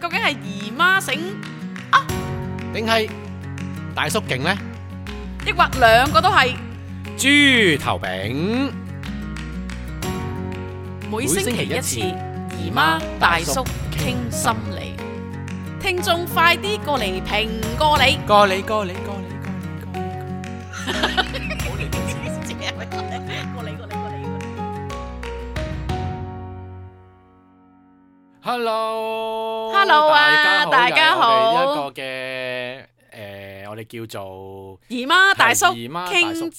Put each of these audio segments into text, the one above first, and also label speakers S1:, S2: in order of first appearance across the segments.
S1: 究竟係姨媽醒啊，
S2: 定係大叔勁呢？
S1: 抑或兩個都係？
S2: 豬頭餅，
S1: 每星期一次，姨媽大叔傾心理，聽眾快啲過嚟評過你。
S2: 過你。
S1: 過嚟。Hello 啊，大家好。
S2: 我哋一個嘅我哋叫做
S1: 姨媽大叔
S2: 傾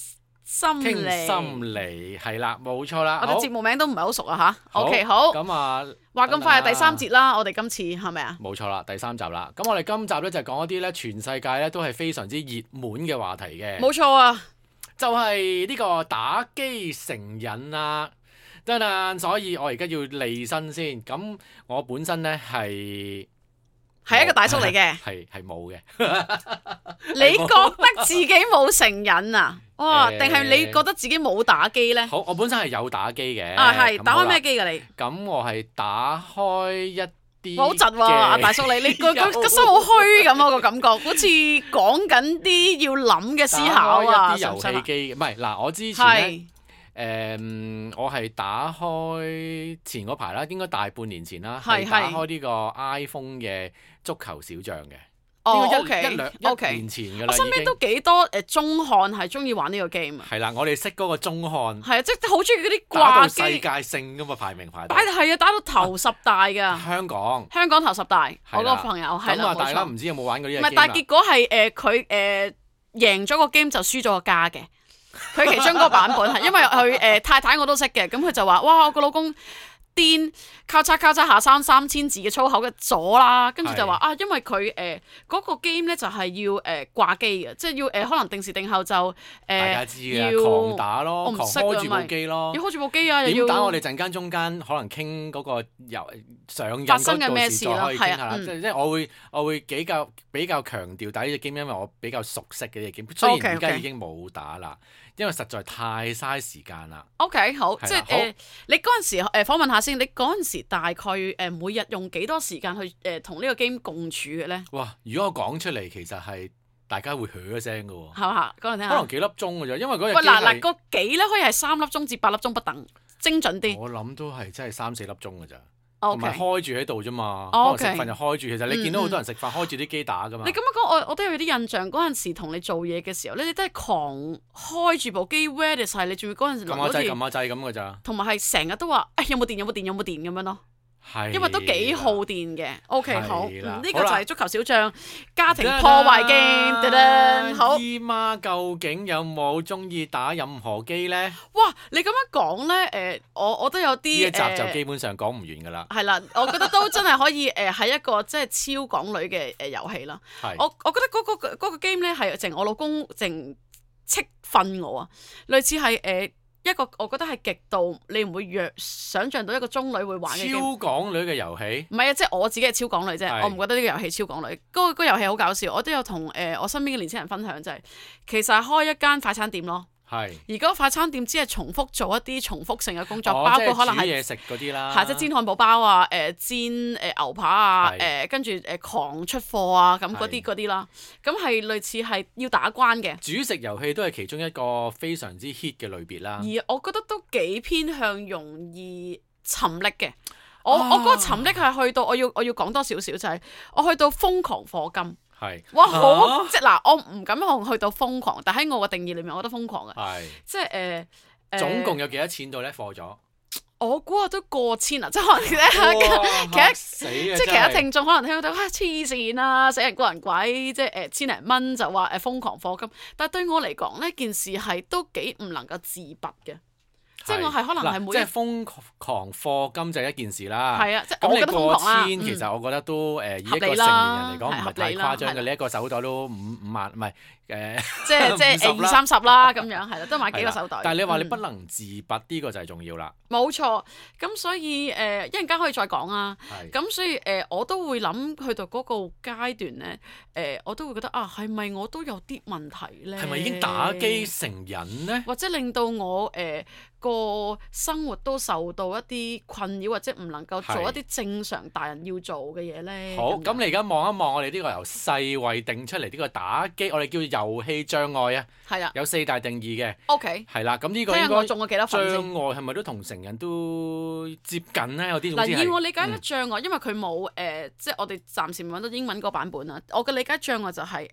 S1: 心
S2: 理，係啦，冇錯啦。
S1: 我哋節目名都唔係好熟啊吓。
S2: 好
S1: OK， 好。
S2: 咁啊，
S1: 話咁快係第三節啦，我哋今次係咪啊？
S2: 冇錯啦，第三集啦。咁我哋今集咧就講一啲咧全世界咧都係非常之熱門嘅話題嘅。
S1: 冇錯啊，
S2: 就係呢個打機成癮啊！得啦，所以我而家要利申先。咁我本身咧係
S1: 一個大叔嚟嘅，
S2: 係冇嘅。
S1: 你覺得自己冇成癮啊？哇！定係你覺得自己冇打機咧？
S2: 好，我本身係有打機嘅。
S1: 係打開咩機㗎你？
S2: 咁我係打開一啲。
S1: 好窒喎，阿大叔你個心好虛咁啊個感覺，好似講緊啲要諗嘅思考啊！
S2: 打開一啲遊戲機，唔係嗱，我之前咧。我係打開前嗰排啦，應該大半年前啦，係打開呢個 iPhone 嘅足球小將嘅。應該一年前㗎啦。
S1: 我身邊都幾多中漢係中意玩呢個 game 啊。
S2: 係啦，我哋識嗰個中漢。
S1: 係啊，即係好中意嗰啲掛機。
S2: 打到世界性㗎嘛，排名排。
S1: 係啊，打到頭10大㗎。
S2: 香港
S1: 頭10大，我嗰個朋友係啦，冇錯。
S2: 大家唔知有冇玩過呢個 game
S1: 唔係，但係結果係佢贏咗個 game 就輸咗個家嘅。佢其中嗰個版本係因為佢太太我都識嘅，咁佢就話：哇，我個老公癲，交叉下3000字嘅粗口嘅咗啦，跟住就話啊，因為佢嗰個 game 咧就係要掛機嘅，即係要可能定時定候就
S2: 大家知嘅，狂打咯，狂開住部機咯，
S1: 要開住部機啊，
S2: 點打我哋陣間中間可能傾嗰個上癮
S1: 發生嘅咩事啦，
S2: 係啊，即係我會比較強調打呢隻 game，因為我比較熟悉嘅呢隻 game，雖然而家已經冇打啦。因為實在太嘥時間啦。
S1: OK， 好，即係你嗰陣時訪問下先，你嗰陣時大概每日用幾多時間去同呢個 game 共處嘅咧？
S2: 哇！如果我講出嚟，其實係大家會噓一聲嘅喎。
S1: 係嘛？講嚟聽下。
S2: 可能幾粒鐘嘅啫，因為嗰日。
S1: 嗱個幾咧可以係3粒鐘至8粒鐘不等，精準啲。
S2: 我諗都係真係3-4粒鐘嘅咋。
S1: 同
S2: 埋開住喺度啫嘛，可能食飯就開住。其實你見到好多人食飯開住啲機打噶嘛。
S1: 你咁樣講，我都有啲印象。嗰陣時同你做嘢嘅時候咧，你都係狂開住部機 ready 晒，你仲要嗰陣時
S2: 撳下掣咁嘅咋。
S1: 同埋係成日都話有冇電咁樣咯。
S2: 係。
S1: 因為都幾耗電嘅。OK， 好，呢個就係足球小將家庭破壞機。好。
S2: 姨媽究竟有冇中意打任何機咧？
S1: 哇！你咁樣講咧，我都有啲
S2: 呢一集就基本上講唔完㗎啦。
S1: 係啦，我覺得都真係可以係一個即係超港女嘅遊戲啦。我覺得嗰個 game 咧係淨我老公淨斥訓我啊，類似係一個我覺得係極度你唔會想像到一個中女會玩嘅 game。
S2: 超港女嘅遊戲？
S1: 唔係啊，即係我自己係超港女啫，我唔覺得呢個遊戲超港女。嗰個遊戲好搞笑，我都有同我身邊嘅年輕人分享，就係其實係開一間快餐店咯。而嗰個快餐店只係重複做一啲重複性嘅工作，包括可能係
S2: 煮嘢食嗰啲啦，
S1: 即係煎漢堡包啊、煎牛扒啊、跟住狂出貨啊咁嗰啲啦，咁係類似係要打關嘅。
S2: 煮食遊戲都係其中一個非常之 hit 嘅類別啦。
S1: 而我覺得都幾偏向容易沉溺嘅。我嗰個沉溺係去到我要講多少少就係我去到瘋狂課金。哇！好即係嗱，我唔敢去到瘋狂，但喺我嘅定義裏面，我覺得瘋狂嘅。即係
S2: 總共有幾多錢度咧？課咗？
S1: 我估下都過千啊！即係可能其他聽眾可能聽到黐線啊，死人過人鬼，即係千零蚊就話瘋狂課金。但係對我嚟講呢件事係都幾唔能夠自拔嘅。即係我係可能係每
S2: 即係瘋狂課金就係一件事啦。
S1: 係啊，即係我覺得瘋狂啦。
S2: 咁你過千，其實我覺得都以一個成年人嚟講唔係太誇張嘅。你一個手袋都5萬，唔係
S1: 即係20-30啦咁樣，係啦，都買幾個手袋。
S2: 但係你話你不能自拔呢個就係重要啦。
S1: 冇錯，咁所以一陣間可以再講啊。咁所以我都會諗去到嗰個階段咧，我都會覺得啊，係咪我都有啲問題咧？
S2: 係咪已經打機成癮咧？
S1: 或者令到我個生活都受到一啲困擾，或者唔能夠做一啲正常大人要做嘅嘢咧？
S2: 好，咁你而家望一望我哋呢個由世衛定出嚟呢個打機，我哋叫遊戲障礙啊。
S1: 係啊。
S2: 有4大定義嘅。
S1: OK。
S2: 係啦，咁呢個應該障礙係咪都同成人都接近咧？有啲總之係。
S1: 以我理解咧，障礙因為佢冇即係我哋暫時未揾到英文嗰個版本啊。我嘅理解障礙就係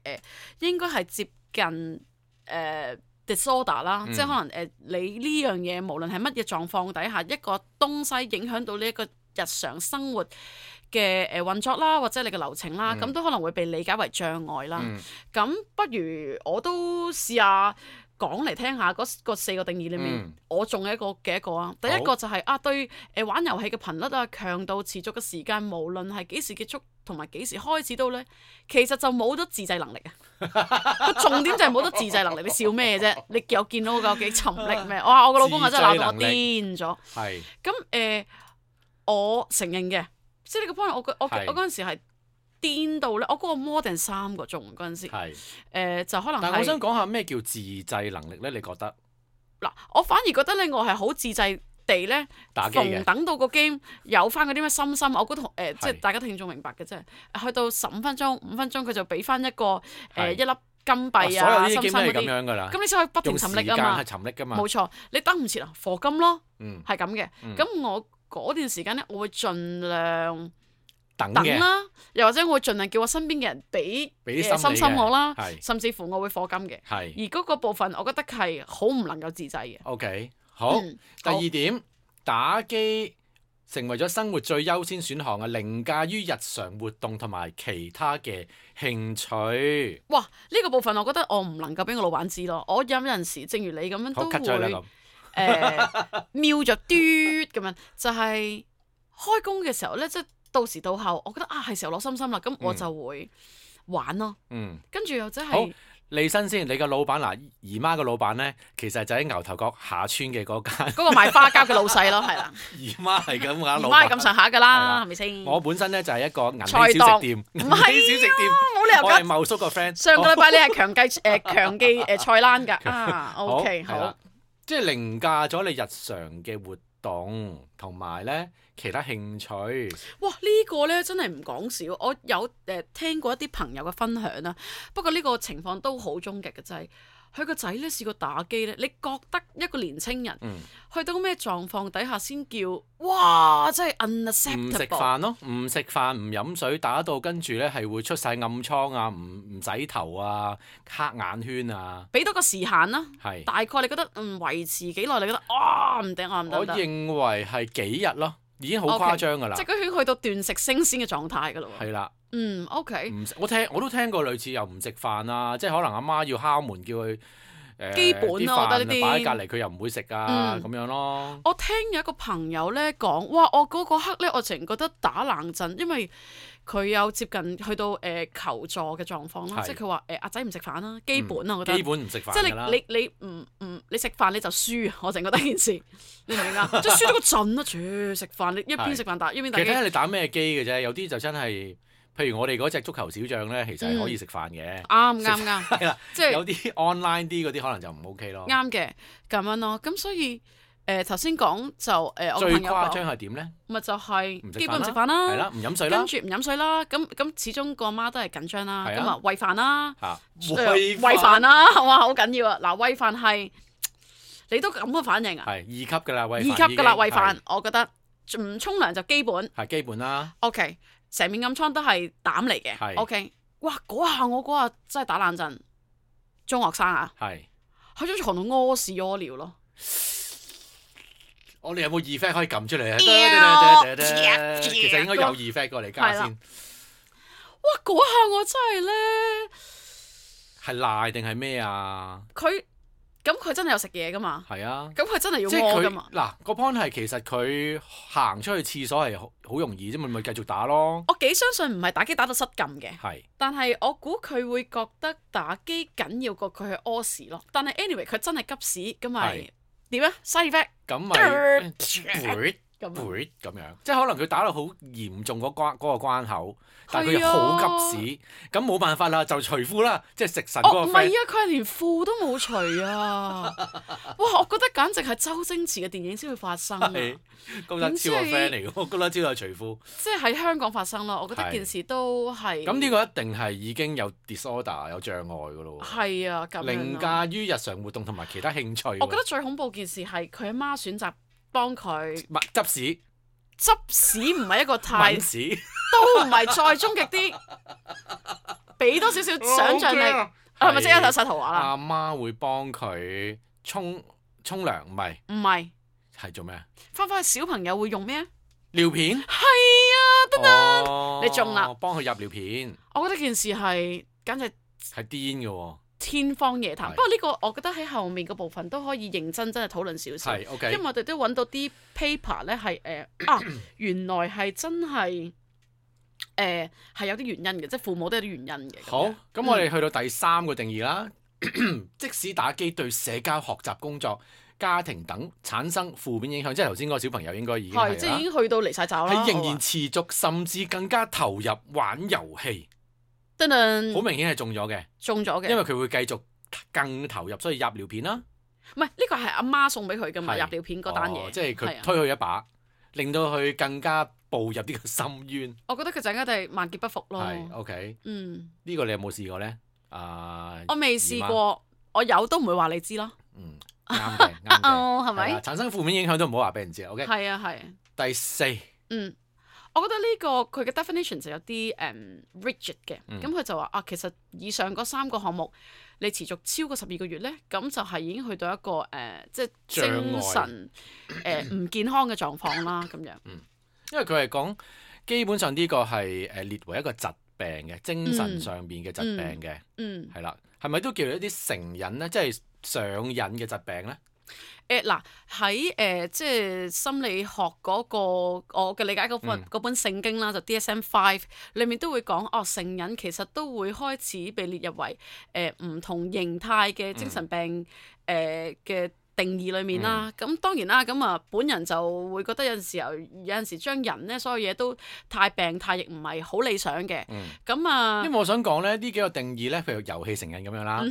S1: 應該係接近disorder 啦，即係可能你呢樣嘢無論係乜嘢狀況底下，一個東西影響到呢一個日常生活嘅運作啦，或者你嘅流程啦，咁都可能會被理解為障礙啦。咁不如我都試下講嚟聽下嗰4個定義裏面，我仲有一個啊。第一個就係對玩遊戲嘅頻率啊、強度、持續嘅時間，無論係幾時結束同埋幾時開始到咧，其實就冇咗自制能力啊。個重點就係冇咗自制能力。你笑咩啫？你有見到我有幾沉溺咩？我個老公啊真係鬧到我癲咗。
S2: 係。
S1: 咁我承認嘅，即係呢個 point，我嗰陣時係癲到咧，我嗰個 more than 3個鐘嗰陣時，就可能係。
S2: 但係我想講下咩叫自制能力咧？你覺得？
S1: 嗱，我反而覺得咧，我係好自制地咧，逢等到個 game 有翻嗰啲咩心，我覺得即係大家聽眾明白嘅啫。去到15分鐘、5分鐘，佢就俾翻一個一粒金幣啊、心心嗰啲。咁你先可以不停沉溺啊嘛。
S2: 用時間係沉溺㗎嘛。
S1: 冇錯，你等唔切啊，課金咯，係咁嘅。咁我嗰段時間咧，我會盡量等啦，又或者我會盡量叫我身邊嘅人俾心我啦，甚至乎我會課金嘅。而嗰個部分，我覺得係好唔能夠自制嘅。
S2: OK， 好。第2點，打機成為咗生活最優先選項啊，凌駕於日常活動同埋其他嘅興趣。
S1: 哇！呢個部分我覺得我唔能夠俾我老闆知咯。我有陣時，正如你咁樣都會。瞄咗嘟咁樣，就係開工嘅時候咧，即係到時到後，我覺得係時候攞心啦，咁我就會玩咯。跟住又真係
S2: 好利申先，你個老闆嗱，姨媽個老闆咧，其實就喺牛頭角下村嘅嗰間，
S1: 嗰個賣花膠嘅老細咯，係啦。
S2: 姨媽係咁㗎，
S1: 姨媽係咁上下㗎啦，係咪先？
S2: 我本身咧就係一個銀禧小食店，銀禧小食店，
S1: 冇理由㗎。
S2: 我係茂叔個 friend。
S1: 上個禮拜你係強記菜欄㗎，OK 好。
S2: 即係凌駕咗你日常嘅活動同埋咧其他興趣。
S1: 哇！呢個咧真係唔講笑，我有聽過一啲朋友嘅分享啦。不過呢個情況都好終極嘅，就係佢個仔咧試過打機咧。你覺得一個年青人去到咩狀況底下先叫哇？真係 unacceptable。唔食
S2: 飯咯，唔食飯唔飲水，打到跟住咧係會出晒暗瘡啊，唔洗頭啊，黑眼圈啊。
S1: 俾多個時限啦，大概你覺得維持幾耐？你覺得唔得啊，唔得。
S2: 我認為係幾日咯，已經好誇張㗎啦。
S1: 即係佢去到斷食升仙嘅狀態㗎啦喎。係
S2: 啦。
S1: OK。
S2: 我都聽過類似又唔食飯啊，即係可能阿媽要敲門叫佢
S1: 基本咯，我覺得呢啲
S2: 擺喺隔離佢又唔會食啊，咁樣咯。
S1: 我聽有一個朋友咧講，哇！我嗰個刻咧，我淨覺得打冷震，因為佢有接近去到求助嘅狀況啦，即係佢話阿仔唔食飯啦，基本啊，我覺得。基
S2: 本唔食飯。
S1: 即係你食飯你就輸，我淨覺得件事，你明唔明啊？即係輸得個陣啊！食飯你一邊食飯打一邊打機。
S2: 其實睇下你打咩機嘅啫，有啲就真係。譬如我哋嗰隻足球小將咧，其實係可以食飯嘅。
S1: 啱。
S2: 係啦，即係有啲 online 啲嗰啲可能就唔 OK 咯。
S1: 啱嘅，咁樣咯。咁所以頭先講就我
S2: 最誇張係點咧？
S1: 咪就係基本唔食飯啦，
S2: 係啦，唔飲水啦，
S1: 跟住唔飲水啦。咁始終個媽都係緊張啦。咁啊餵飯啦，
S2: 餵
S1: 飯啦，哇好緊要啊！嗱餵飯係你都咁嘅反應啊？
S2: 係2級㗎啦，餵飯。
S1: 2級㗎啦，餵飯，我覺得唔沖涼就基本。
S2: 係基本啦。
S1: OK。成面暗瘡都係膽嚟嘅，OK。哇！嗰下真係打冷震，中學生啊，喺張床度屙屎屙尿咯。
S2: 我哋有冇 effect 可以撳出嚟啊？其實應該有 effect 過嚟加先。
S1: 哇！嗰下我真係咧，
S2: 係賴定係咩啊？
S1: 咁佢真係有食嘢噶嘛？
S2: 係啊。
S1: 咁佢真係要屙噶嘛？
S2: 嗱，個 point 係其實佢行出去廁所係好容易啫，咪繼續打咯。
S1: 我幾相信唔係打機打到失禁嘅。
S2: 係。但
S1: 係我估佢會覺得打機緊要過佢去屙屎咯。但係 anyway 佢真係急屎咁咪點啊？side effect。
S2: 咁咪咁樣，即係可能佢打到好嚴重嗰個關口，但係佢又好急屎，咁冇辦法啦，就除褲啦，即係食神嗰個 friend。
S1: 唔係啊，佢係連褲都冇除啊！哇，我覺得簡直係周星馳嘅電影先會發生啊！
S2: 高德超個 friend 嚟嘅，高德超有除褲。
S1: 即係喺香港發生咯，我覺得件事都係。
S2: 咁呢個一定係已經有 disorder 有障礙㗎咯喎。係
S1: 啊，咁樣。
S2: 凌駕於日常活動同埋其他興趣。
S1: 我覺得最恐怖件事係佢阿媽選擇幫佢
S2: 執屎。
S1: 執屎唔係一個太
S2: 抿屎
S1: 都唔係再終極啲，俾多少少想像力，係咪即刻有晒圖畫啦？
S2: 阿媽會幫佢沖涼，唔係係做咩啊？
S1: 翻去小朋友會用咩啊？
S2: 尿片
S1: 係啊，得得，你中啦！
S2: 幫佢入尿片。
S1: 我覺得件事係簡直
S2: 係癲嘅喎。
S1: 天方夜譚，不過呢個我覺得喺後面個部分都可以認真係討論少少，因為我哋都揾到啲 paper 咧係原來係真係係有啲原因嘅，即係父母都有啲原因嘅。
S2: 好，咁我哋去到第3個定義啦。即使打機對社交、學習、工作、家庭等產生負面影響，即係頭先嗰個小朋友應該已經係啦，
S1: 即係已經去到離晒爪啦，
S2: 係仍然持續，甚至更加投入玩遊戲。好明顯係中咗嘅，因為佢會繼續更投入，所以入尿片啦。
S1: 唔係呢個係阿媽送俾佢㗎嘛，入尿片嗰單嘢，
S2: 即係佢推佢一把，令到佢更加步入呢個深淵。
S1: 我覺得佢陣間都係萬劫不復咯。
S2: 係 OK，呢個你有冇試過咧？
S1: 我未試過，我有都唔會話你知咯。
S2: 啱嘅，
S1: 係咪？
S2: 產生負面影響都唔好話俾人知。OK，
S1: 係啊，係。
S2: 第4，
S1: 我覺得呢個佢嘅 definition 就有啲rigid 嘅，咁佢就話其實以上嗰3個項目你持續超過12個月咧，咁就係已經去到一個即係精神唔健康嘅狀況啦，咁樣。
S2: 因為佢係講基本上呢個係列為一個疾病嘅精神上邊嘅疾病嘅，係啦，係咪都叫做一啲成癮咧，即係上癮嘅疾病咧？
S1: 嗱喺即係心理學嗰個我嘅理解嗰本聖經啦，就 DSM-5 裏面都會講成癮其實都會開始被列入為唔同形態嘅精神病嘅定義裏面啦。咁當然啦，咁本人就會覺得有陣時將人咧所有嘢都太病態，亦唔係好理想嘅。咁
S2: 因為我想講咧呢幾個定義咧，譬如遊戲成癮咁樣啦，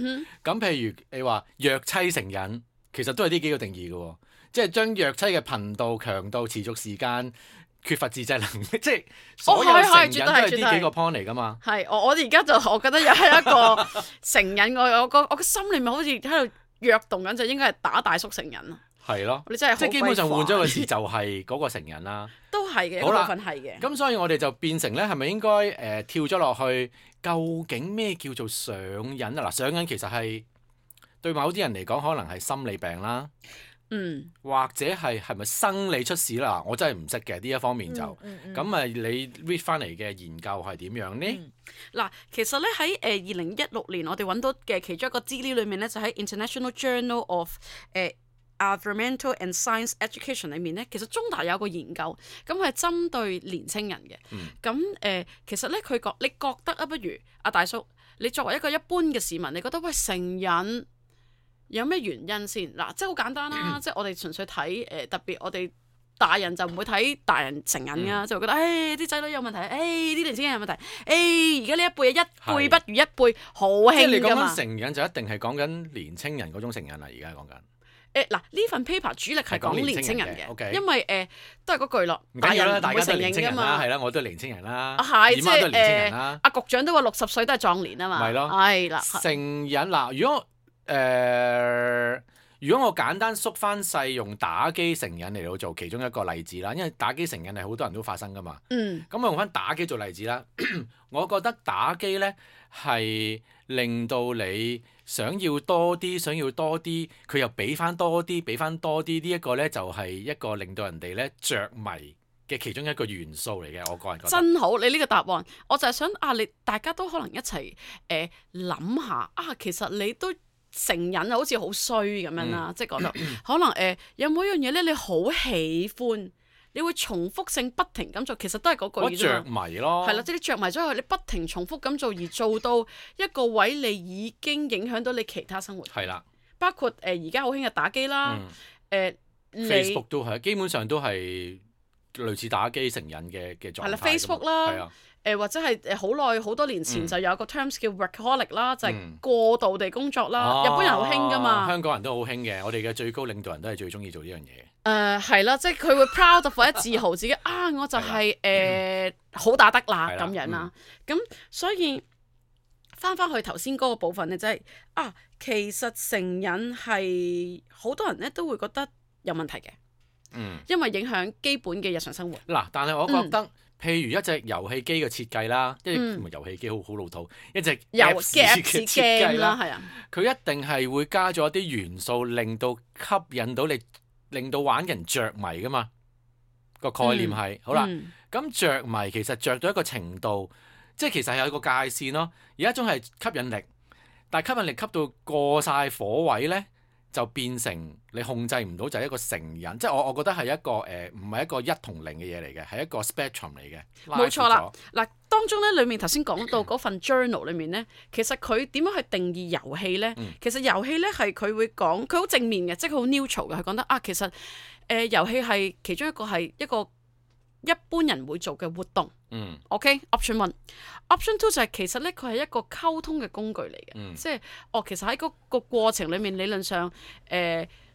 S2: 咁譬如你話虐妻成癮。其實都係呢幾個定義嘅喎，即係將虐妻嘅頻度、強度、持續時間、缺乏自制能力，即係所有成癮都係呢幾個 point 嚟㗎嘛。
S1: 係，我而家就我覺得又係一個成癮，我個心裏面好似喺度躍動緊，就應該係打大叔成癮啊。
S2: 係咯，
S1: 你真係
S2: 即係基本上換咗個字就係嗰個成癮啦。都
S1: 係嘅，一部分係嘅。
S2: 咁所以我哋就變成咧，係咪應該跳咗落去？究竟咩叫做上癮啊？嗱，上癮其實係。對某啲人嚟講，可能係心理病啦，或者係咪生理出事啦？我真係唔識嘅呢一方面就，咁你 read 翻嚟嘅研究係點樣呢？
S1: 嗱，其實咧喺2016年我哋揾到嘅其中一個資料裏面咧，就喺 International Journal of Environmental and Science Education 裏面咧，其實中大有個研究，咁係針對年青人嘅。咁其實咧你覺得不如阿大叔，你作為一個一般嘅市民，你覺得喂成癮有咩原因先？嗱，即係好簡單啦，即係我哋純粹睇特別我哋大人就唔會睇大人成癮㗎，就會覺得啲仔女有問題，啲年輕人有問題，而家呢一輩一輩不如一輩，好興㗎嘛。
S2: 即係你講緊成癮就一定係講緊年青人嗰種成癮啦，而家講緊。
S1: 嗱，呢份 paper 主力係講年青人嘅，因為都係嗰句咯，
S2: 大人唔會承認㗎嘛。係啦，我都係年青人啦，姨媽都係年青人啦。
S1: 阿局長都話60歲都係壯年啊嘛。
S2: 係咯，係啦。成癮嗱，如果我簡單縮翻細用打機成癮嚟到做其中一個例子啦，因為打機成癮係好多人都發生噶嘛。咁我用翻打機做例子啦，我覺得打機咧係令到你想要多啲，佢又俾翻多啲，呢一個咧就係一個令到人哋咧着迷嘅其中一個元素嚟嘅。我個人覺得
S1: 真好，你呢個答案，我就係想你大家都可能一齊諗下其實你都成癮好似好衰咁樣啦，即係覺得可能有冇一樣嘢咧，你好喜歡，你會重複性不停咁做，其實都係嗰句啫嘛。
S2: 着迷咯，
S1: 係啦，即係你着迷咗佢，你不停重複咁做，而做到一個位，你已經影響到你其他生活。
S2: 係啦，
S1: 包括而家好興嘅打機啦，Facebook
S2: 都係，基本上都係類似打機成癮嘅狀態。
S1: 係啦，Facebook 啦，或者係好多年前就有個 terms 叫 workaholic 啦，就係過度地工作啦。日本人好興㗎嘛，
S2: 香港人都好興嘅。我哋嘅最高領導人都係最中意做呢樣嘢。
S1: 係啦，即係佢會 proud of 或者自豪自己啊，我就係好打得啦咁樣啦。咁所以翻去頭先嗰個部分咧，就係其實成癮係好多人咧都會覺得有問題嘅。因為影響基本嘅日常生活。嗱，
S2: 但係我覺得，譬如一隻遊戲機嘅設計啦，唔係遊戲機好老土，一隻 Apps 嘅設計啦，係啊，佢一定係會加咗一啲元素，令到吸引到你，令到玩人着迷噶嘛。個概念係好啦，咁着迷其實着到一個程度，即係其實係有一個界線咯。有一種係吸引力，但係吸引力吸到過晒火位咧，就變成你控制唔到，就係一個成癮，即係我覺得係一個唔係一個一同零嘅嘢嚟嘅，係一個 spectrum 嚟嘅。
S1: 冇錯啦，嗱，當中咧裡面頭先講到嗰份 journal 裡面咧，其實佢點樣去定義遊戲咧？其實遊戲咧係佢會講，佢好正面嘅，即係佢好 neutral 嘅，佢講得其實遊戲係其中一個係一個一般人會做嘅活動。OK，option one。Option two 就係其實咧，佢係一個溝通嘅工具嚟嘅，即係其實喺嗰個過程裡面，理論上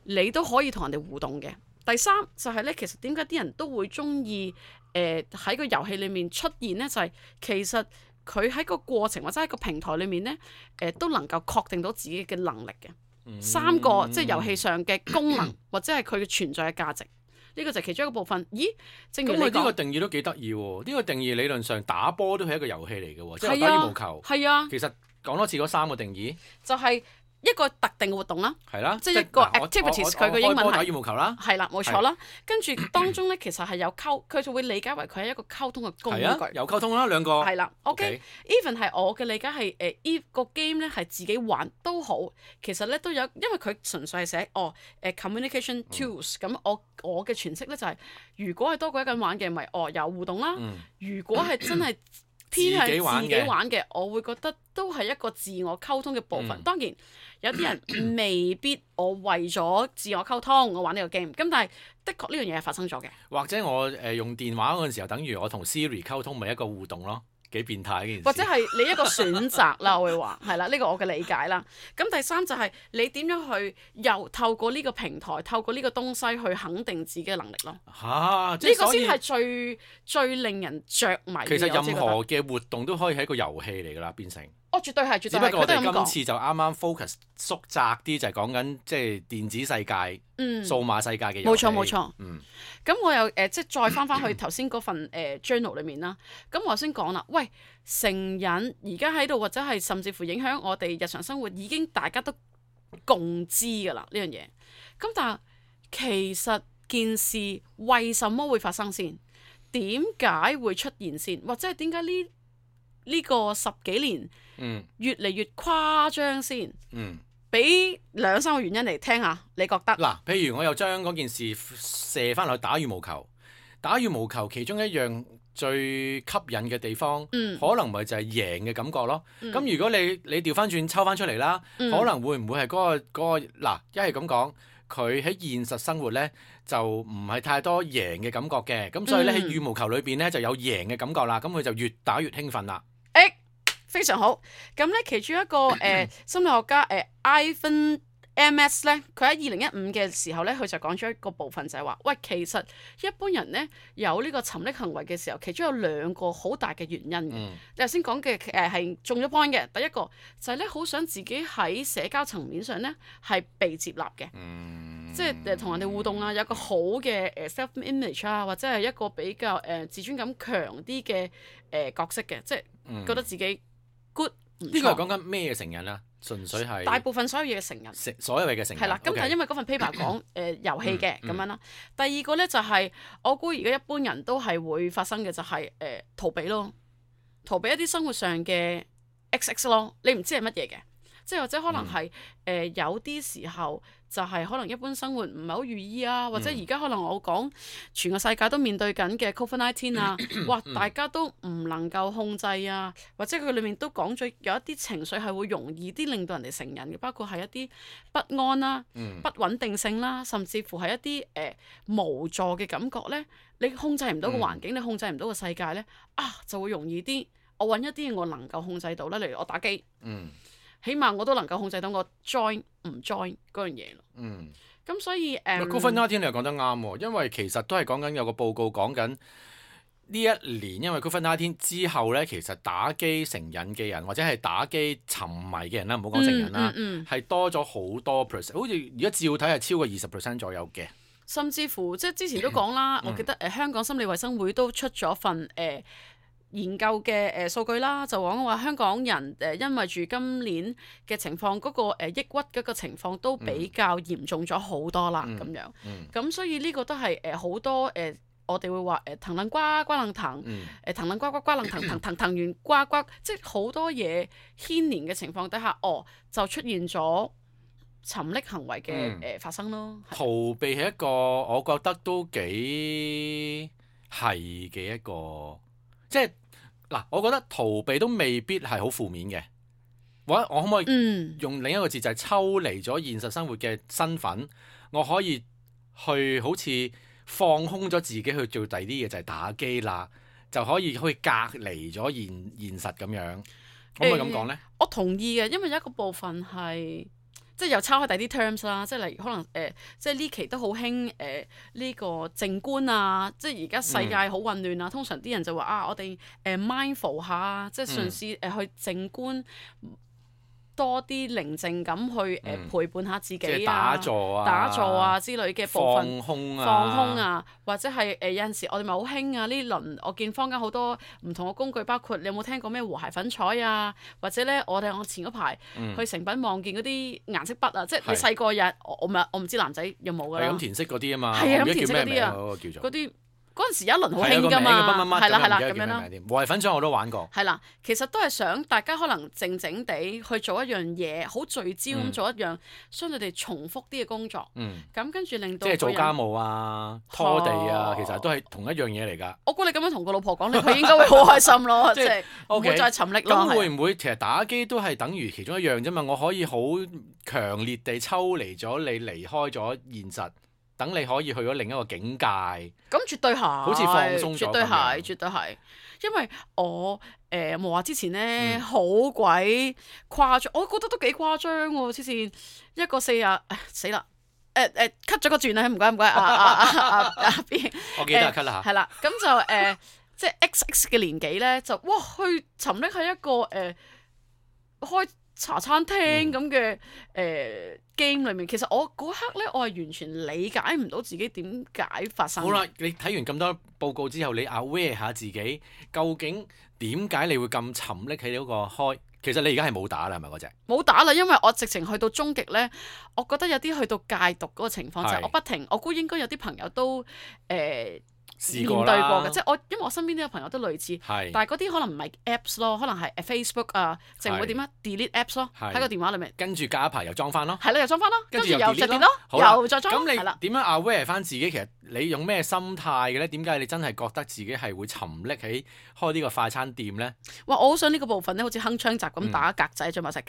S1: 你都可以同人哋互動嘅。第三就係咧，其實點解啲人都會中意喺個遊戲裡面出現咧？就係其實佢喺個過程或者喺個平台裡面咧，都能夠確定到自己嘅能力嘅。三個即係遊戲上嘅功能或者係佢嘅存在嘅價值。呢個就係其中一個部分。咦？正如你講，
S2: 咁呢個定義都幾得意喎。呢個定義理論上打波都係一個遊戲嚟嘅喎，即係打羽毛球。
S1: 係啊。
S2: 其實講多次嗰三個定義，
S1: 就係一個特定嘅活動啦。
S2: 係啦。
S1: 即係一個 activities，佢個英文係
S2: 打羽毛球啦。
S1: 係啦，冇錯啦。跟住當中咧，其實係有佢就會理解為佢係一個溝通嘅工具。
S2: 有溝通啦，兩個。
S1: 係啦。OK。Even 係我嘅理解係個 game 咧係自己玩都好，其實咧都有，因為佢純粹係寫communication tools。咁我嘅詮釋咧就係，如果係多過一個人玩嘅，咪有互動啦。如果係真係偏向自己玩嘅，我會覺得都係一個自我溝通嘅部分。當然有啲人未必我為咗自我溝通我玩呢個 game，咁但係的確呢樣嘢係發生咗嘅。
S2: 或者我用電話嗰陣時候，等於我同 Siri 溝通，咪一個互動咯。幾變態呢件事，
S1: 或者係你一個選擇啦，我會話係啦，呢個我嘅理解啦。咁第三就係你點樣去又透過呢個平台，透過呢個東西去肯定自己嘅能力咯。呢個先係最令人着迷嘅。
S2: 其實任何嘅活動都可以係一個遊戲嚟㗎啦，變成。
S1: 絕對係，絕對係。
S2: 只不過我哋今次就啱啱 focus 縮窄啲，就係講緊即係電子世界、數碼世界嘅遊戲。
S1: 冇錯。咁我又即係再翻去頭先嗰份journal 裏面啦。咁我先講啦，喂，成癮而家喺度，或者係甚至乎影響我哋日常生活，已經大家都共知㗎啦呢樣嘢。咁但係其實件事為什麼會發生先？點解會出現先？或者係點解呢個十幾年越嚟越誇張先？俾2-3個原因嚟聽下，你覺得？
S2: 嗱，譬如我又將嗰件事射翻落去打羽毛球。打羽毛球其中一樣最吸引嘅地方，可能咪就係贏嘅感覺咯。咁如果你調翻轉抽翻出嚟啦，可能會唔會係嗰個嗱？一係咁講，佢喺現實生活咧就唔係太多贏嘅感覺嘅，咁所以咧喺羽毛球裏邊咧就有贏嘅感覺啦。咁佢就越打越興奮啦。
S1: 非常好，咁咧其中一個心理學家Ivan MS 咧，佢喺2015嘅時候咧，佢就講咗一個部分就係話，喂，其實一般人咧有呢個沉溺行為嘅時候，其中有2個好大嘅原因嘅。你頭先講嘅係中咗 point 嘅，第一個就係咧好想自己喺社交層面上咧係被接納嘅，即係同人哋互動啊，有個好嘅self image 啊，或者係一個比較自尊感強啲嘅角色嘅，即係覺得自己 good。
S2: 呢個係講緊咩嘅成癮啊？純粹係
S1: 大部分所有嘢嘅成癮，
S2: 所有嘢嘅成癮係啦。
S1: 咁但係因為嗰份 paper 講遊戲嘅咁樣啦。第二個咧就係我估而家一般人都係會發生嘅就係逃避咯，逃避一啲生活上嘅 XX 咯。你唔知係乜嘢嘅，即係或者可能係有啲時候就係可能一般生活唔係好如意啊，或者而家可能我講全個世界都面對緊嘅 COVID-19 啊，哇！大家都唔能夠控制啊，或者佢裡面都講咗有一啲情緒係會容易啲令到人哋成癮嘅，包括係一啲不安啦、不穩定性啦，甚至乎係一啲無助嘅感覺咧。你控制唔到個環境，你控制唔到個世界咧，就會容易啲。我揾一啲嘢我能夠控制到啦，例如我打機，起碼我都能夠控制到我 join 唔 join 嗰樣嘢咯。咁所以
S2: COVID-19 你又講得啱喎，因為其實都係講緊有個報告講緊呢一年，因為 COVID-19 之後咧，其實打機成癮嘅人或者係打機沉迷嘅人啦，唔好講成癮啦，係多咗好多 percent，好似而家照睇係超過20% 左右嘅。
S1: 甚至乎即係之前都講啦，我記得香港心理衛生會都出咗份研究嘅數據啦，就講話香港人因為住今年嘅情況，嗰個抑鬱嗰個情況都比較嚴重咗好多啦，咁樣。咁所以呢個都係好多我哋會話騰楞呱呱楞騰，騰楞呱呱呱楞騰騰完呱呱，即係好多嘢牽連嘅情況底下，就出現咗沉溺行為嘅發生咯。
S2: 逃避係一個我覺得都幾係嘅一個，即係嗱，我覺得逃避都未必係好負面嘅。我可唔可以用另一個字就係抽離咗現實生活嘅身份，我可以去好似放空咗自己去做第二啲嘢，就係打機啦，就可以隔離咗現實咁樣，可唔可以咁講呢？
S1: 我同意嘅，因為有一個部分係。即係又抄開第啲 terms 啦，即係例如可能即係呢期都好興呢個靜觀啊，即係而家世界好混亂啊，通常啲人就話我哋mindful 下，即係嘗試去靜觀。多啲寧靜咁去陪伴下自己
S2: 打坐啊
S1: 之類嘅部分，放空啊，或者係有陣時我哋咪好興啊！呢輪我見坊間好多唔同嘅工具，包括你有冇聽過咩和諧粉彩啊？或者咧我前嗰排去誠品望見嗰啲顏色筆啊，即係你細個日我唔知男仔有冇㗎啦。
S2: 係咁填色嗰啲啊嘛，
S1: 係啊，咁填色嗰啲啊，嗰啲。嗰陣時有一輪好興㗎嘛，係啦咁樣啦。
S2: 和諧粉彩我都玩過。
S1: 係啦，其實都係想大家可能靜靜地去做一樣嘢，好聚焦咁做一樣相對地重複啲嘅工作。咁跟住令到
S2: 即係做家務啊、拖地啊，其實都係同一樣嘢嚟㗎。
S1: 我估你咁樣同個老婆講，佢應該會好開心咯，即係唔會再沉溺咯。
S2: 咁會唔會其實打機都係等於其中一樣啫嘛？我可以好強烈地抽離咗你，離開咗現實。等你可以去咗另一個境界，
S1: 咁絕對係，
S2: 好似放鬆咗，
S1: 絕對係，因為我冇話之前咧好鬼誇張，我覺得都幾誇張喎，之前一個40死啦，cut 咗個轉啦，唔該邊，
S2: 我記得 cut 啦嚇，
S1: 係啦，咁就即係 XX 嘅年紀咧，就哇去沉溺喺一個開茶餐廳咁嘅game 裏面，其實我嗰刻咧，我係完全理解唔到自己點解發生。好啦，
S2: 你睇完咁多報告之後，你 aware 下自己，究竟點解你會咁沉溺喺嗰個開？其實你而家係冇打啦，係咪嗰隻？
S1: 冇打啦，因為我直情去到終極咧，我覺得有啲去到戒毒嗰個情況就係我不停，我估應該有啲朋友都面對過嘅，即係因為我身邊都有朋友都類似，但係嗰啲可能唔係 apps 咯，可能係 Facebook 啊，淨會點啊 delete apps 咯，喺個電話裏面。
S2: 跟住隔一排又裝翻咯。
S1: 係啦，又裝翻咯，跟住又 delete 咯，又再裝。
S2: 咁你點樣 aware 翻自己？其實你用咩心態嘅咧？點解你真係覺得自己係會沉溺喺開呢個快餐店咧？
S1: 哇！我好想呢個部分咧，好似鏗鏘集咁打格仔，再埋聲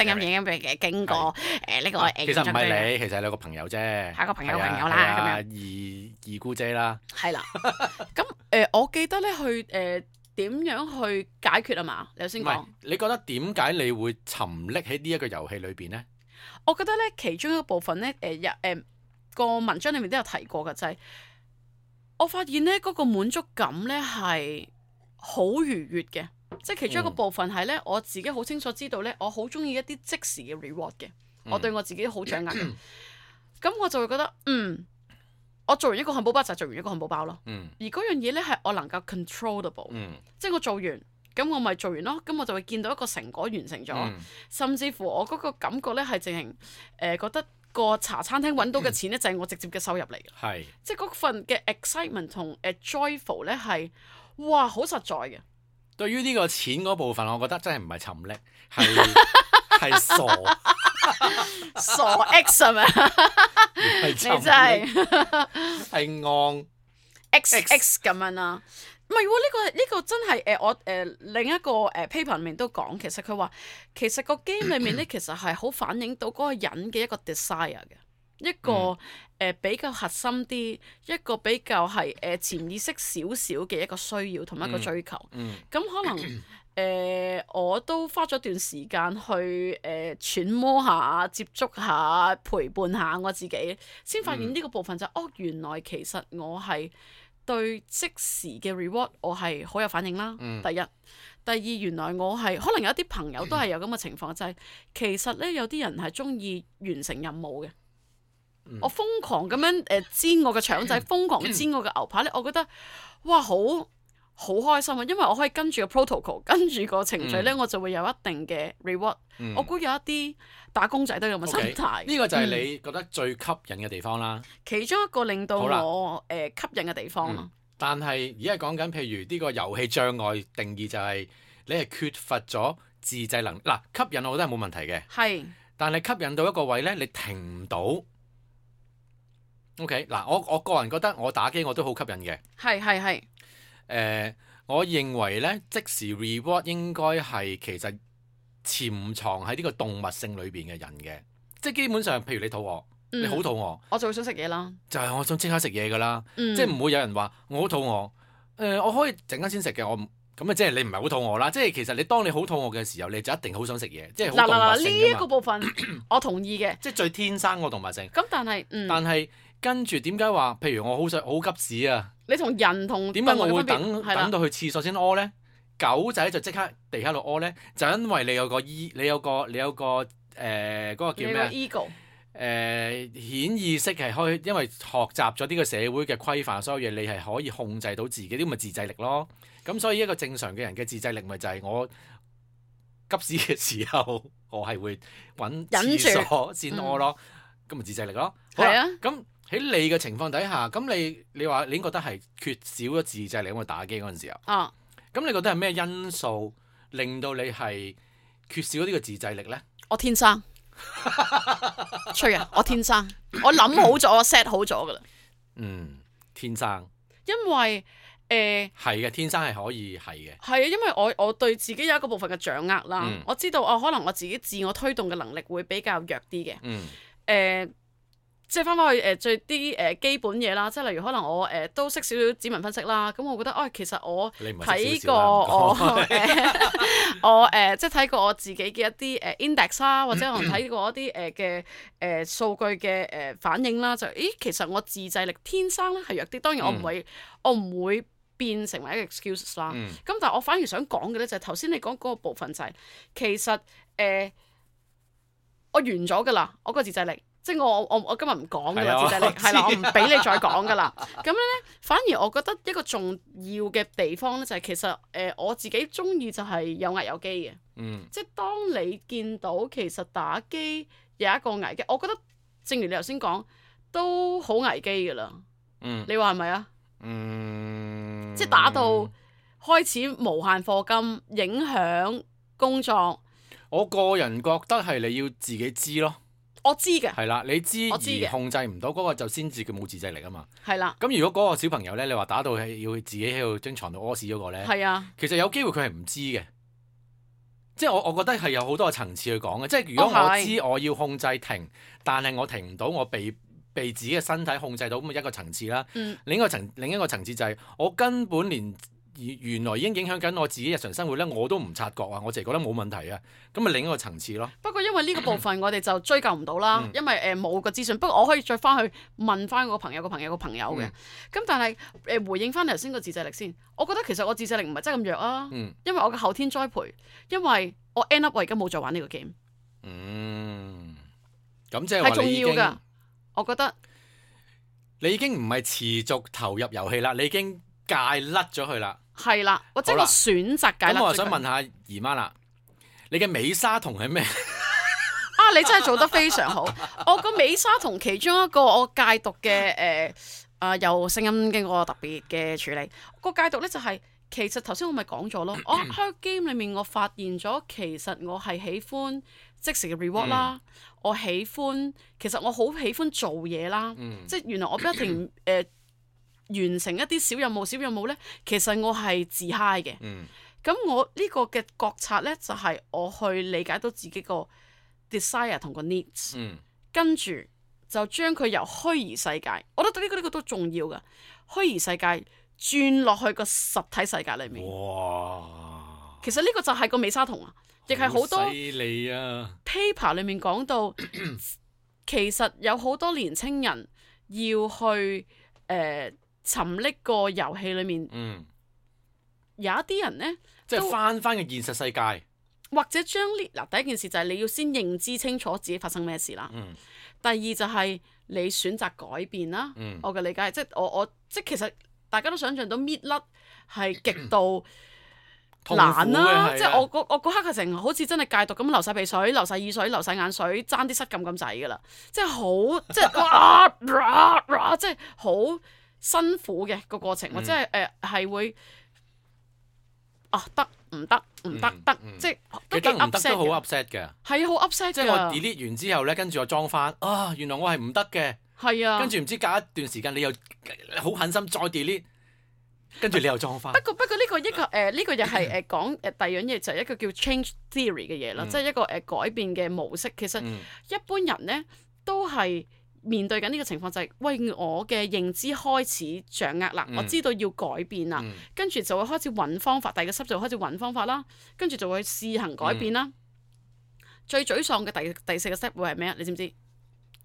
S1: 音影嘅經過呢個
S2: 其實唔係你，其實係你個朋友啫。
S1: 係個朋友啦，咁
S2: 樣二姑姐啦。
S1: 係啦。咁我記得咧去點樣去解決啊嘛？你頭先講，
S2: 你覺得點解你會沉溺喺呢一個遊戲裏邊咧？
S1: 我覺得咧其中一個部分咧個文章裏面都有提過嘅，就係我發現咧嗰個滿足感咧係好愉悅嘅，即係其中一個部分係咧我自己好清楚知道咧，我好中意一啲即時嘅 reward 嘅，我對我自己好掌握嘅，咁我就會覺得我做完一個漢堡包就係做完一個漢堡包咯，而嗰樣嘢咧係我能夠 controllable，即係我做完，咁我咪做完咯，咁我就會見到一個成果完成咗，甚至乎我嗰個感覺咧係淨係覺得個茶餐廳揾到嘅錢咧就係我直接嘅收入嚟嘅，即係嗰份嘅 excitement 同joyful 咧係哇好實在嘅。
S2: 對於呢個錢嗰部分，我覺得真係唔係沉溺，係傻。
S1: 傻 X 係咪？你真係
S2: 係昂
S1: XX 咁樣啦。唔係喎，呢個真係我另一個paper 裏面都講，其實佢話其實個 game 裏面咧，其實係好反映到嗰個人嘅一個 desire 嘅，一個比較核心啲，一個比較係潛意識少少嘅一個需要同埋一個追求。咁可能我都花咗段時間去揣摩下、接觸下、陪伴下我自己，先發現呢個部分就原來其實我係對即時嘅 reward 我係好有反應啦。第一，第二，原來我係可能有一啲朋友都係有咁嘅情況，就係其實咧有啲人係中意完成任務嘅。我瘋狂咁樣煎我嘅腸仔，瘋狂煎我嘅牛扒咧，我覺得哇好開心啊！因為我可以跟住個 protocol， 跟住個程序咧，我就會有一定嘅 reward。我估有一啲打工仔都有咁嘅心態。
S2: 呢個就係你覺得最吸引嘅地方啦。
S1: 其中一個令到我吸引嘅地方咯。
S2: 但係而家講緊，譬如呢個遊戲障礙定義就係你係缺乏咗自制能力。嗱，吸引我覺得係冇問題嘅。係。但係吸引到一個位咧，你停唔到。OK， 嗱，我個人覺得我打機我都好吸引嘅。係。我認為咧，即時 reward 應該係其實潛藏喺呢個動物性裏邊嘅人嘅，即係基本上，譬如你肚餓，你好肚餓，
S1: 我就會想食嘢啦。就
S2: 係我想即刻食嘢㗎啦，即係唔會有人話我好肚餓，我可以陣間先食嘅，我咁啊，即係你唔係好肚餓啦。即係其實你當你好肚餓嘅時候，你就一定好想食嘢，即係好動物性㗎嘛。嗱，呢一
S1: 個部分我同意嘅，
S2: 即係最天生個動物性。
S1: 咁但係跟住點解話？譬如我好急屎啊！你同人同
S2: 點解我會等到去廁所先屙咧？狗仔就即刻地喺度屙咧，就因為你有個嗰個叫咩？ego 顯意識係可以，因為學習咗呢個社會嘅規範，所有嘢你係可以控制到自己，呢咪自制力咯。咁所以一個正常嘅人嘅自制力咪就係我急屎嘅時候，我係會揾廁所先屙咯。咁咪自制力咯。係啊。咁喺你嘅情況底下，咁你話你已經覺得係缺少咗自制力，因為打機嗰陣時候。咁你覺得係咩因素令到你係缺少咗呢個自制力咧？
S1: 我天生，吹啊！我天生，我諗好咗，我 set 好咗噶啦。
S2: 天生。因
S1: 為
S2: 係嘅，天生係可以係嘅。
S1: 係啊，因為我對自己有一個部分嘅掌握啦。我知道可能我自己自我推動嘅能力會比較弱啲嘅。即係翻返去最啲基本嘢啦，即係例如可能我都識少少指紋分析啦，咁我覺得其實我睇過我即係睇過我自己嘅一啲index 啦，或者可能睇過一啲嘅數據嘅反應啦，就其實我自制力天生咧係弱啲，當然我唔會變成為一個 excuse 啦。咁但係我反而想講嘅咧就係頭先你講嗰個部分就係其實我完咗㗎啦，我個自制力。即係我今日唔講㗎啦，自制力係啦，我唔俾你再講㗎啦。咁樣咧，反而我覺得一個重要嘅地方咧，就係其實我自己中意就係有危有機嘅。即係當你見到其實打機有一個危機，我覺得正如你頭先講，都好危機㗎啦。你話係咪啊？即係打到開始無限課金，影響工作。
S2: 我個人覺得係你要自己知咯。
S1: 我知嘅，
S2: 係啦，你知而控制唔到嗰個就先至叫冇自制力啊嘛。
S1: 係啦。咁
S2: 如果嗰個小朋友咧，你話打到係要自己喺度張床度屙屎嗰個咧，係啊，其實有機會佢係唔知嘅。即係我覺得係有好多個層次去講嘅。即係如果我知我要控制停，但係我停唔到，我被自己嘅身體控制到，咁一個層次啦。另一個層次就係我根本連原來已經影響緊我自己日常生活咧，我都唔察覺啊！我淨係覺得冇問題啊，咁咪另一個層次咯。
S1: 不過因為呢個部分我哋就追究唔到啦，因為冇個資訊。不過我可以再翻去問翻個朋友嘅嘅。咁但係回應翻頭先個自制力先，我覺得其實我自制力唔係真係咁弱啊。因為我嘅後天栽培，因為我 end up 我而家冇再玩呢個 game。
S2: 咁即係話
S1: 係重要㗎，我覺得
S2: 你已經唔係持續投入遊戲啦，你已經戒甩咗佢啦。
S1: 係啦，或者我選擇解。
S2: 咁我想問下姨媽啦，你嘅美沙酮係咩？
S1: 你真係做得非常好。我個美沙酮其中一個我戒毒嘅有聲音經過特別嘅處理。個戒毒咧就係其實頭先我咪講咗咯，我喺 game 裏面我發現咗，其實我係喜歡即時嘅 reward 啦，我喜歡其實我好喜歡做嘢啦，即係原來我不一定完成一啲小任務咧，其實我係自 high 嘅。咁我呢個嘅覺察咧，就係我去理解到自己個 desire 同個 needs，跟住就將佢由虛擬世界，我覺得呢個都重要㗎，虛擬世界轉落去個實體世界裏面。
S2: 哇！
S1: 其實呢個就係個美沙酮啊，亦係好多
S2: 犀利啊
S1: paper 裏面講到，其實有好多年青人要去沉溺個遊戲裏面。有一啲人呢，
S2: 即係翻個現實世界，
S1: 或者將呢第一件事就係你要先認知清楚自己發生咩事啦。第二就係你選擇改變啦。我嘅理解即係我即係其實大家都想象到搣甩係極度難啦。即係我嗰刻嘅成好似真係戒毒咁流晒鼻水、流晒耳水、流晒眼水，爭啲失禁咁滯㗎啦。即係好即係即係好辛苦嘅個過程，或者係會。得唔得？即係都幾 upset
S2: 好 upset 嘅。
S1: 係啊，好 upset 嘅。
S2: 即係我 delete 完之後咧，跟住我裝翻，原來我係唔得嘅。
S1: 係啊。
S2: 跟住唔知隔一段時間，你又好狠心再 delete，跟住你又裝翻。
S1: 不過呢個呢個又係講第二樣嘢，就係一個叫 change theory 嘅嘢啦，即係一個改變嘅模式。其實一般人咧都係面對緊呢個情況，就係喂，我嘅認知開始掌握啦，我知道要改變啦，跟住就會開始揾方法，第二個 step 就會開始揾方法啦，跟住就會試行改變啦。最沮喪嘅第四個 step 會係咩啊？你知唔知？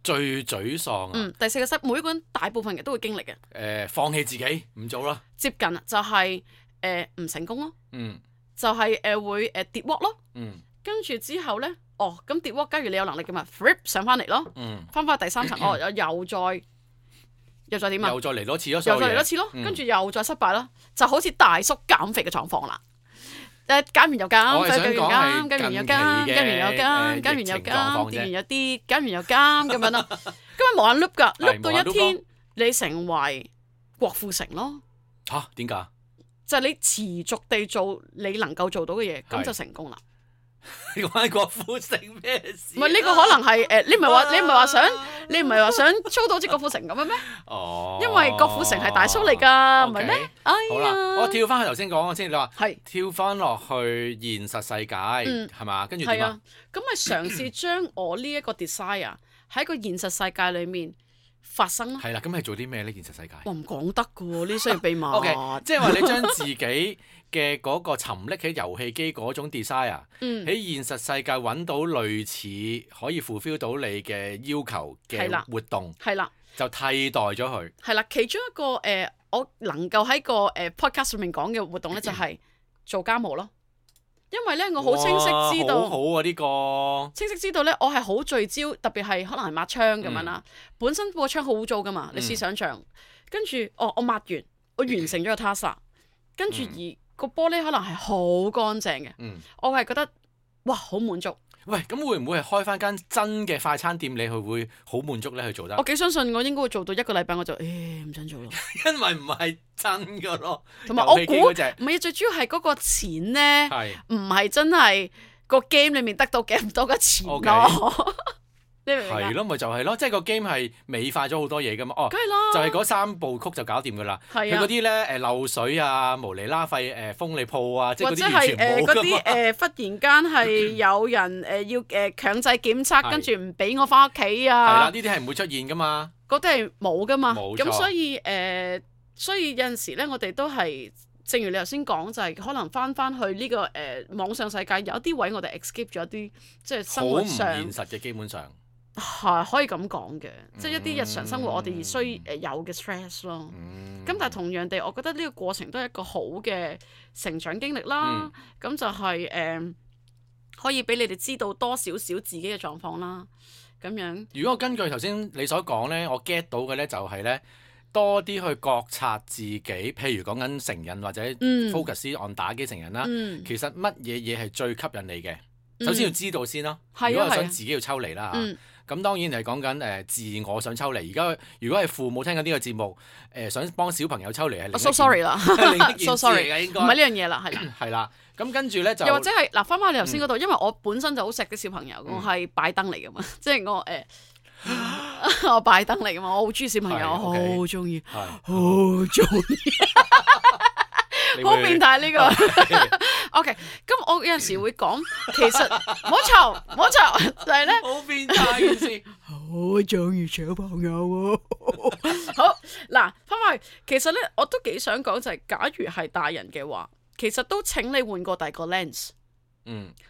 S2: 最沮喪啊！
S1: 第四個 step 每一個人大部分人都會經歷嘅。
S2: 放棄自己唔做啦。
S1: 接近啦，就係唔成功咯。就係會跌鑊咯。跟住之後咧。咁跌鑊，假如你有能力嘅嘛 flip 上翻嚟咯，翻返去第三層，又再點啊？
S2: 又再嚟多次咯，
S1: 又再嚟多次咯，跟住又再失敗咯，就好似大叔減肥嘅狀況啦。減完又減，減完又減，減完又減，減完又減，減完又減，跌完又跌，減完又減咁樣咯。咁啊無限 loop 㗎，loop 到一天你成為郭富城咯。
S2: 嚇？點解？
S1: 就係你持續地做你能夠做到嘅嘢，咁就成功啦。
S2: 你關郭富城咩事？
S1: 唔係呢個可能係你唔係話想操到好似郭富城咁樣咩？因為郭富城係大叔嚟㗎，唔係咩？
S2: 好啦，我跳翻去頭先講先，你話
S1: 係
S2: 跳翻落去現實世界係嘛？跟住點啊？
S1: 咁咪嘗試將我呢一個 desire 喺個現實世界裏面發生咯。
S2: 係啦，咁係做啲咩呢？現實世界
S1: 我唔講得㗎喎，呢啲商業秘密。
S2: OK，即係話你將自己嘅嗰個沉溺喺遊戲機嗰種 desire，喺現實世界揾到類似可以 fulfill 到你嘅要求嘅活動，
S1: 係啦，
S2: 就替代咗佢。
S1: 係啦，其中一個我能夠喺個podcast 上面講嘅活動咧，就係做家務咯。因為咧，我好清晰知道，
S2: 好啊呢個
S1: 清晰知道咧，我係好聚焦，特別係可能係抹窗咁樣啦。本身個窗好污糟噶嘛，你試想像，跟住我抹完，我完成咗個 task，跟住而個玻璃可能係好乾淨嘅，我係覺得哇好滿足。
S2: 喂，咁會唔會係開翻間真嘅快餐店，你去會好滿足咧？去做得？
S1: 我幾相信我應該會做到1個禮拜，我就唔想做咯。
S2: 因為唔係真噶咯，
S1: 同埋我估唔係最主要係嗰個錢咧，唔係真係個 game 裏面得到幾多嘅錢咯。
S2: 係咯，咪就係咯，即係個 game 係美化咗好多嘢噶嘛。
S1: 梗係啦，
S2: 就係嗰3部曲就搞掂噶啦。佢嗰啲咧漏水啊、無厘啦廢封你鋪啊，即係嗰啲完全冇噶嘛。或者係嗰啲忽然間係有人要強制檢測，跟住唔俾我翻屋企啊。係啦，呢啲係唔會出現噶嘛。
S1: 嗰啲係冇噶嘛。
S2: 冇錯。
S1: 咁所以有陣時咧，我哋都係正如你頭先講，就係可能翻去呢個網上世界，有一啲位我哋 escape 咗一啲即係生活上
S2: 好唔現實嘅，基本上。
S1: 係可以咁講嘅，即係一啲日常生活我哋需有嘅 stress 咯。咁但係同樣地，我覺得呢個過程都係一個好嘅成長經歷啦。咁就係可以俾你哋知道多少少自己嘅狀況啦。咁樣。如
S2: 果我根據頭先你所講咧，我 get 到嘅咧就係咧多啲去覺察自己，譬如講緊成癮或者 focus on 打機成癮啦。其實乜嘢嘢係最吸引你嘅？首先要知道先咯。如果係想自己要抽離啦嚇。咁當然係講緊自我想抽離。而家如果係父母聽緊呢個節目，想幫小朋友抽離係另一件
S1: so sorry 啦，so sorry
S2: 嘅應該
S1: 唔係呢樣嘢啦，係啦。
S2: 係啦，咁跟住咧就
S1: 又或者係嗱，翻返你頭先嗰度，因為我本身就好錫啲小朋友，我係擺燈嚟噶嘛，即係我我擺燈嚟噶嘛，我好中意小朋友，我好中意，好中意。好變態呢個，OK。咁我有陣時會講，其實唔好嘈，就係咧，
S2: 好變態件事，
S1: 好中意小朋友喎。好嗱，翻返去，其實咧我都幾想講就係，假如係大人嘅話，其實都請你換過第二個 lens。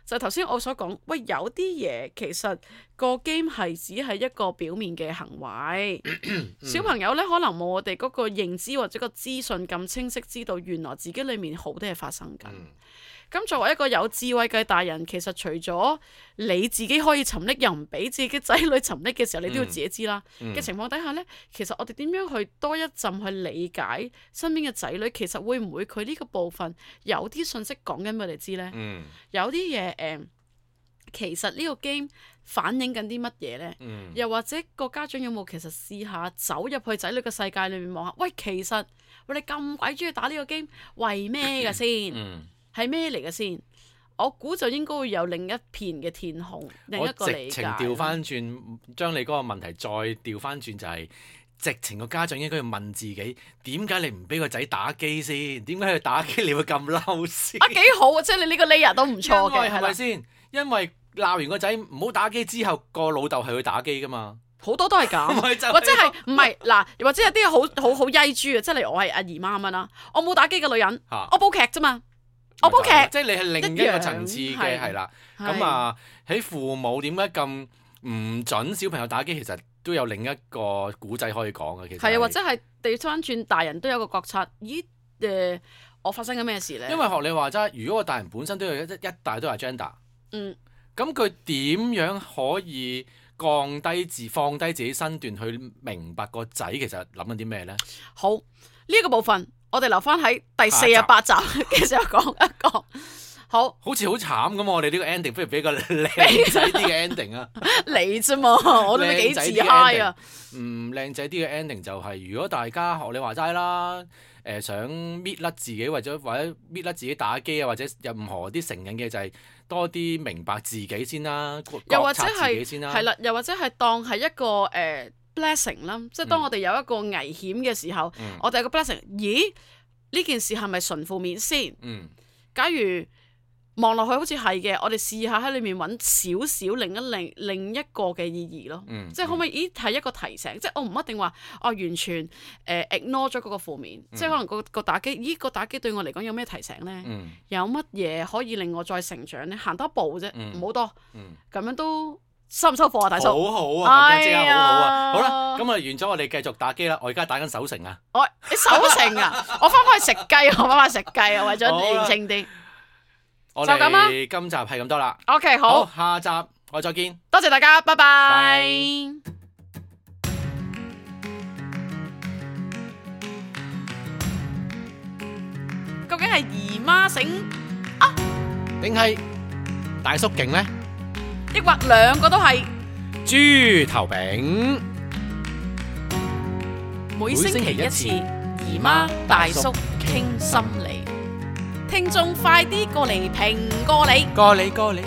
S1: 就頭先我所講，喂，有啲嘢其實個 game 係只係一個表面嘅行為，小朋友咧可能冇我哋嗰個認知或者個資訊咁清晰，知道原來自己裏面好多嘢發生緊。咁作為一個有智慧嘅大人，其實除咗你自己可以沉溺，又唔俾自己仔女沉溺嘅時候，你都要自己知啦。嘅情況底下呢，其實我哋點樣去多一陣去理解身邊嘅仔女，其實會唔會佢呢個部分有啲信息講緊俾我哋知呢？有啲嘢其實呢個 game 反映緊啲乜嘢呢？又或者個家長有冇其實試下走入去仔女嘅世界裏面望下？喂，其實你咁鬼中意打呢個 game，為咩嘅先？係咩嚟嘅先？我估就應該會有另一片嘅天空，另一個理解。我直情調翻轉，將你嗰個問題再調翻轉，就係直情個家長應該要問自己：點解你唔俾個仔打機先？點解佢打機你會咁嬲先？幾好啊！即係你呢個 layer 都唔錯嘅，
S2: 係咪先？因為鬧完個仔唔好打機之後，個老豆係去打機噶嘛。
S1: 好多都係咁，或者係唔係嗱？或者有啲好曳豬啊！即係例如我係阿姨媽咁樣啦，我冇打機嘅女人，我煲劇啫嘛。我煲劇，
S2: 即係你係另一個層次嘅，係啦。咁啊，喺父母點解咁唔準小朋友打機？其實都有另一個古仔可以講嘅。其實係啊，或
S1: 者係調翻轉，大人都有個覺察。咦？我發生緊咩事咧？
S2: 因為學你話齋，如果個大人本身都有一大堆 agenda，咁佢點樣可以放低自己身段去明白個仔其實諗緊啲咩咧？
S1: 好，呢個部分。我哋留翻喺第48集嘅時候講一講，好
S2: 似好慘咁。我哋呢個 ending 不如俾個靚仔啲嘅 ending 啊！
S1: 你啫嘛，我都幾自 high 啊！
S2: 靚仔啲嘅 ending 就係，如果大家學你話齋啦，想搣甩自己或者搣甩自己打機啊，或者任何啲成癮嘅，就係多啲明白自己先啦，
S1: 又或者
S2: 覺察自己先啦，
S1: 係啦，又或者係當係一個blessing 啦，即係當我哋有一個危險嘅時候，我哋有個 blessing。咦？呢件事係咪純負面先？假如望落去好似係嘅，我哋試下喺裏面揾少少另一個嘅意義咯。即係可唔可以？咦，係一個提醒，即係我唔一定話完全ignore 咗嗰個負面，即係可能個打機，咦，個打機對我嚟講有咩提醒呢？有乜嘢可以令我再成長呢？行多一步啫，唔好多，咁樣都。收唔收貨啊，大叔？
S2: 好好啊，即刻好好啊！好啦，咁啊完咗，我哋繼續打機啦。我而家打緊守城啊！
S1: 你守城啊？我翻返去食雞，我翻返去食雞啊！為咗年輕啲，
S2: 我哋今集係咁多啦。
S1: OK， 好，
S2: 下集我再見。
S1: 多謝大家，拜拜。究竟係姨媽醒啊，
S2: 定係大叔勁呢？
S1: 抑或兩個都係
S2: 豬頭餅，
S1: 每星期一次，姨媽大叔傾心理，聽眾快啲過嚟評過你。